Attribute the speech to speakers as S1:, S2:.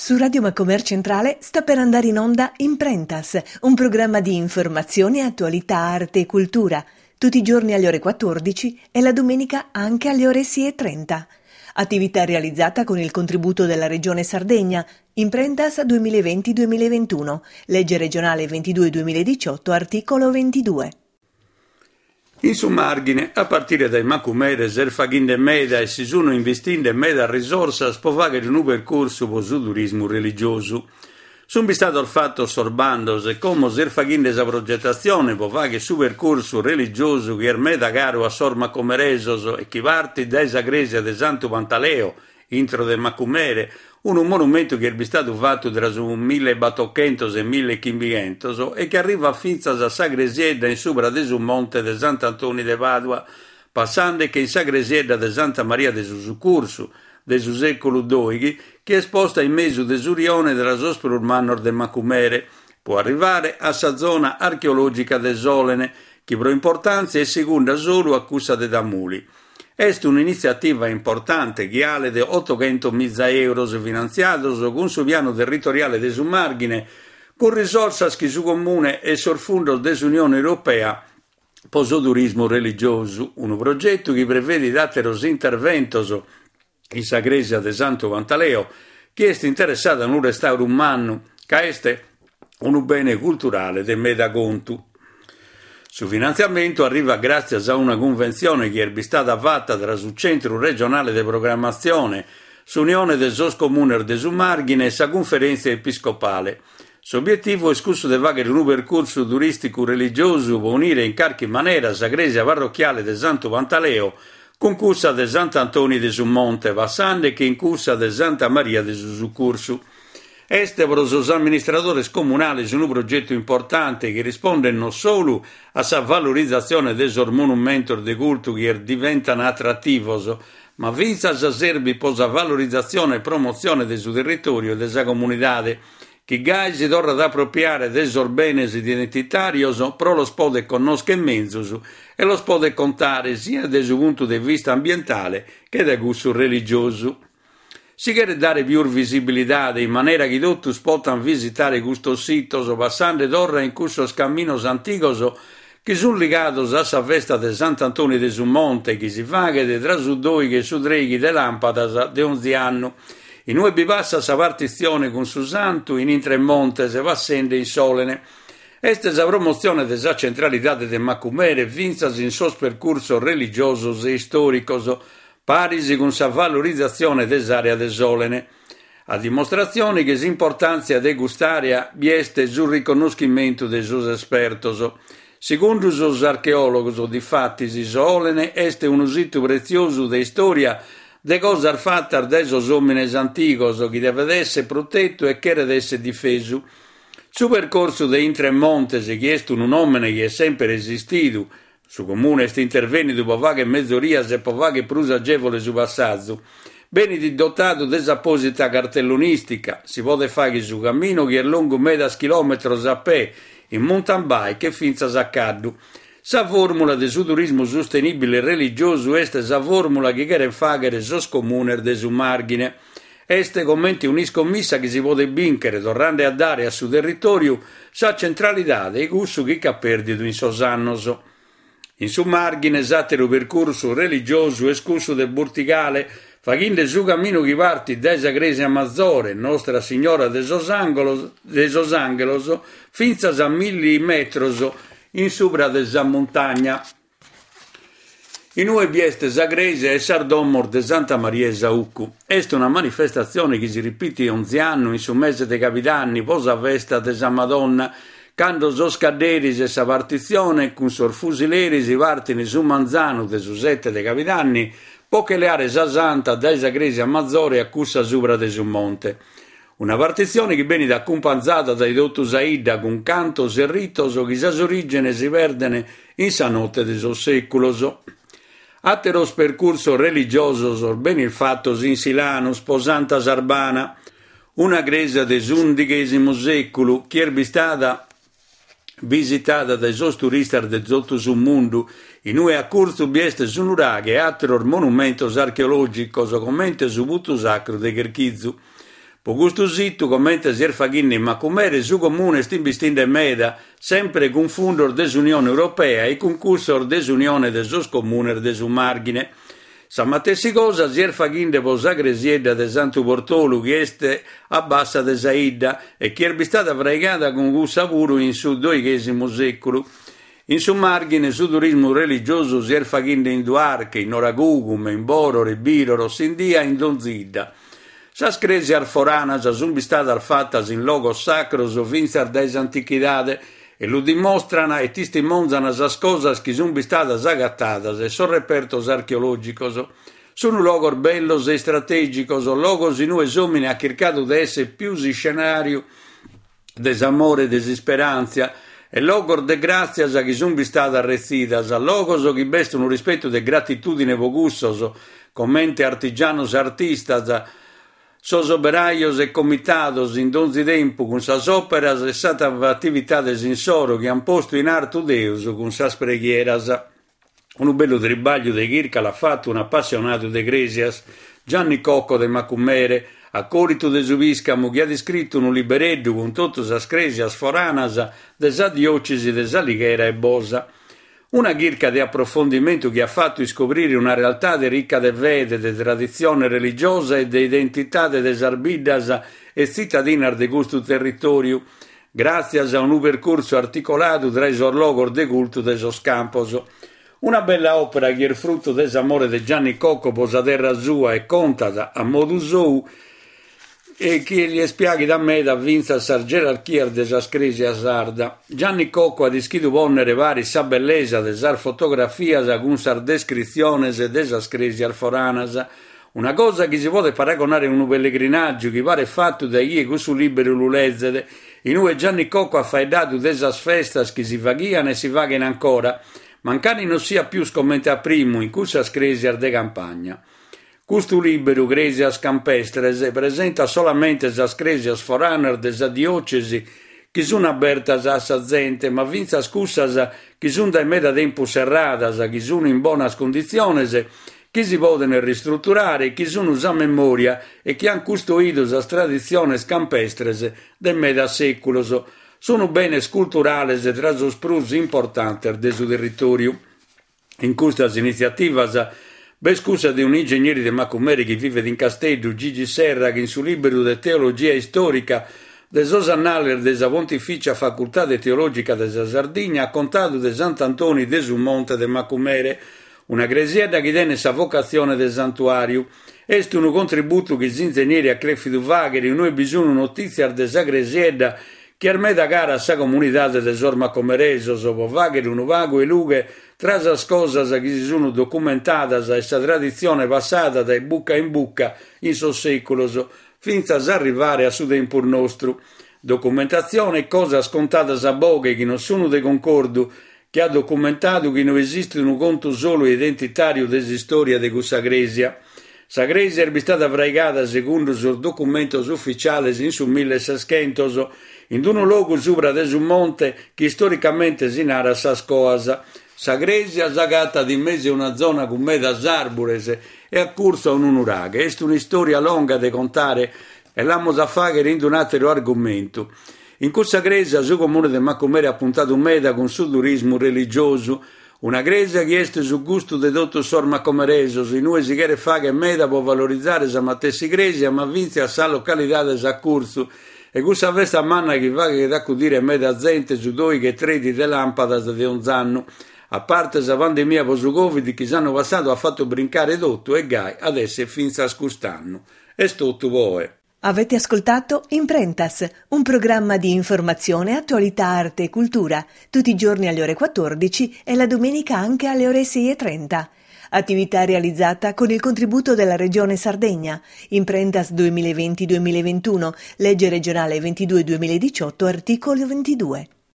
S1: Su Radio Macomer Centrale sta per andare in onda Imprentas, un programma di informazione, attualità, arte e cultura, tutti i giorni alle ore 14 e la domenica anche alle ore 6.30. Attività realizzata con il contributo della Regione Sardegna, Imprentas 2020-2021, legge regionale 22-2018, articolo 22.
S2: In su Màrghine, a partire dae Macumere s'est faghende meda e si sunt investiende medas risorsas pro fàghere unu percursu pro su turismu religiosu. Sunt bistados fatos sos bandos e como s'est faghende sa progetatzione pro fàghere su percursu religiosu chi est meda caru a sos macumeresos e chi partit dae sa crèsia de Santu Pantaleo intro de Macumere, unu monumentu chi est bistadu fatu tra su millebatochentos e millechimbichentos e chi arrivat fintzas a sa cresiedda in subra de su monte de Sant'Antoni de Pàdua, passandeche in sa cresiedda de Santa Maria de su Sucursu, de su sèculu dòighi, chi est posta in mesu de su rione tra sos prus mannos de Macumere, pro arrivare a sa zona archeològica de Sòlene, chi pro importàntzia est segunda solu a cussa de Tamuli. Est un'initziativa importante chi 'alet otochentomiza euros finantziados cun su pianu territoriale de su Màrghine cun risorsas chi su Comune e sos fundos de s'Unione Europea pro su turismu religiosu, unu progetu chi prevedit àteros interventos in sa crèsia de Santu Pantaleo chi est interessada a unu restàuru mannu ca est unu bene culturale de meda contu. Su finantziamentu arrivat gràtzias a una cunventzione chi est bistada fata tra su Centru Regionale de Programmatzione, s'Unione de sos Comunes de su Màrghine e sa Cunferèntzia Episcopale. S'obietivu est cussu de fàghere unu percursu turìsticu religiosu pro unire in carchi manera sa crèsia parrochiale de Santu Pantaleo cun cussa de Sant'Antoni de su Monte, passandeche in cussa de Santa Maria de su Sucursu. Est pro sos amministradores comunales unu progetu importante chi rispondet non solu a sa valorizatzione de sos monumentos de cultu chi diventan atrativos, ma fintzas serbit pro sa valorizatzione e promotzione de su territòriu e de sa comunidade, chi gai si torrat a apropiare de sos benes identitàrios pro los poder connòschere menzus e los poder contare siat dae su puntu de vista ambientale che dae cussu religiosu. Si cheret dare pius visibilidade in manera chi totus potant visitare custos sitos passande torra in cussos caminos antigos chi sunt ligados a sa festa de Sant'Antoni de su Monte chi si faghet tra su doighi e su treighi de làmpadas de onzi annu, in ue bi passat sa partitzione cun su santu in intre montes passende in Sòlene. Est sa promotzione de sa centralidade de Macumere fintzas in sos percursos religiosos e istòricos, paris cun sa valorizatzione de s'àrea de Sòlene. A dimostratzione chi s'importàntzia de cust'àrea bi est su riconnoschimentu de sos espertos. Segundu sos archeòlogos, difatis, Sòlene est unu situ pretziosu de istòria de cosas fatas dae sos òmines antigos chi devet èssere protetu e cheret èssere difesu. Su percorsu de Intre Montes, chi est unu nòmene chi est semper esistidu, Su Comune est intervènnidu pro fàghere mezorias e pro fàghere prus agèvole su passazu. Benit dotadu de s'apòsita cartellonìstica. Si podet fàghere su caminu chi est longu medas chilòmetros a pè, in mountain bike e fintzas a caddu. Sa fòrmula de su turismu sustenìbile religiosu est sa fòrmula chi cherent fàghere sos comunes de su Màrghine. Est comente un'iscommissa chi si podet bìnchere torrende a dare a su territòriu sa centralidade 'e cussu chi ch'at pèrdidu in sos annos. In su Màrghine s'àteru percursu religiosu est cussu de Burtigale, faghende su caminu chi partit dae sa crèsia mazore Nostra Signora de sos de sos Ànghelos fintzas a milli metros in subra de sa muntagna. In ue bi est sa crèsia e sas domos de Santa Maria 'e Saucu. Est una manifestatzione chi si ripitit onzi annu in su mese de cabidanni pro sa festa de sa Madonna, cando sos cadderis e sa partitzione cun sos fusileris partin su manzanu de su sete de cabidanni pro che leare sa Santa dae sa crèsia mazore a cussa subra de su monte. Una partitzione chi benit acumpanzada dae totu sa 'idda cun cantos e ritos chi sas orìgenes si perden in sa note de sos sèculos. Àteros percursos religiosos benint fatos in Silanus pro Santa Sarbana, una crèsia de s'undighèsimu sèculu chi est bistada visitada dae sos turistas de totu su mundu, in ue a curtzu bi est su nuraghe e àteros monumentos archeològicos comente su putu sacru de Cherchizu. Po custu situ, comente si est faghende in Macumere, su Comune est imbistinde meda, sempre cun fundos de s'Unione Europea e cun cussos de s'Unione de sos Comunes de su Màrghine. Sa matessi cosa si est faghende po sa cresiedda de Santu Portolu chi est a bassa de sa 'idda e chi est bistada fraigada cun cussa puru in su doighesimu seculu. In su Màrghine su turismu religiosu si est faghende in Duarche, in Noragugume, in Bòrore, Bìroro, Sindia e in donzi 'idda. Sas crèsias foranas sunt bistadas fatas in logos sacros fintzas dae s'antichidade e lu dimostran e tistimonzan sas cosas chi sunt bistadas agatadas e sos repertos archeològicos. Sunu logos bellos e istratègicos, logos in ue s'òmine at chircadu de èssere pius iscenàriu de s'amore e de s'isperàntzia e logos de gràtzias chi sunt bistadas retzidas, logos chi b'est unu rispetu de gratitùdine pro cussos, comente artigianos e artistas, sos oberajos e comitados in donzi tempu cun sas òperas e sas atividades insoro chi ant postu in artu Deus cun sas preghieras. Unu bellu tribagliu de chirca l'at fatu un'apassionadu de crèsias, Gianni Cocco de Macumere, acòlitu de su pìscamu chi at iscritu unu libereddu cun totu sas crèsias foranas de sa diòcesi de S'Alighera e Bosa. Una chirca de aprofondimentu chi at fatu iscobrire una realtade rica de fede, de traditzione religiosa e de identitade de sas biddas e tzitadinas de custu territòriu, gràtzias a unu percursu articoladu tra sos logos de cultu de sos campos. Una bella òpera chi est frutu de s'amore de Gianni Cocco pro sa terra sua e contat, a modu sou, e chi li est piàghida meda fintzas sas gerarchias de sas crèsias sarda. Gianni Cocco at ischidu pònnere paris sa bellesa de sas fotografias cun sas descritziones de sas crèsias foranas, Una cosa chi si podet paragonare a unu pellegrinàgiu chi paret fatu dae chie cussu lìberu lu lezet, in ue Gianni Cocco at faeddadu de sas festas chi si faghian e si faghen ancora, mancari non siat pius comente a primu in cussas crèsias de campagna. Custu lìberu, Crèsias Campestres, presentat solamente sas crèsias foranas de sa diòcesi chi sun abertas a sa zente, ma fintzas cussas chi sun dae meda tempus serradas, chi sun in bonas cunditziones chi si podent ristruturare, chi sun sa memòria e chi ant custoidu sas traditziones campestres de medas sèculos, sun benes culturales tra sos prus importantes de su territòriu. In custas initziativas b'est cussa de un'ingegneri de Macumere chi vivet in Casteddu, Gigi Serra, chi in su lìberu de Teologia Istòrica de sos Annales de sa Pontificia Facultade Teològica de sa Sardigna at contadu de Sant'Antoni de su Monte de Macumere, Una cresiedda chi tenet sa vocatzione de santuàriu. Est unu contributu chi s'inzenieri at crèfidu fàghere in ue bi sun notìtzias de sa cresiedda chi est meda cara a sa comunidade de sos macomeresos pro fàghere unu pagu 'e lughe tra sas cosas chi si sun documentadas e sa traditzione passada dae buca in buca in sos sèculos fintzas a arrivare a su tempus nostru. Documentatzione e cosas contadas a boghe chi non sun de concordu chi at documentadu chi no esistit unu contu solu e identitàriu de s'istòria de cussa crèsia. Sa crèsia est bistada fraigada segundu sos documentos ufitziales in su milleseschentos, in unu logu subra de su monte chi istoricamente si narat Sas Coas. Sa crèsia s'agatat in mesu a una zona cun medas àrbures e a curtzu a unu nuraghe. Est un'istòria longa de contare e l'amus a fàghere in un'àteru argumentu. In cussa crèsia su comune de Macumere at puntadu meda cun su turismu religiosu, una crèsia chi est su gustu de totus sos macomeresos, in ue si cheret fàghere meda pro valorizare sa matessi crèsia ma fintzas sas localidades a curtzu e cussa festa manna chi faghet acudire meda zente su dòighi e trèighi de làmpadas de onz'annu, a parte sa pandemia pro su Covid chi s'annu passadu at fatu brincare totu e gai at èssere fintzas cust'annu. Est totu po oe.
S1: Avete ascoltato Imprentas, un programma di informazione, attualità, arte e cultura, tutti i giorni alle ore 14 e la domenica anche alle ore 6.30. Attività realizzata con il contributo della Regione Sardegna. Imprentas 2020-2021, legge regionale 22-2018, articolo 22.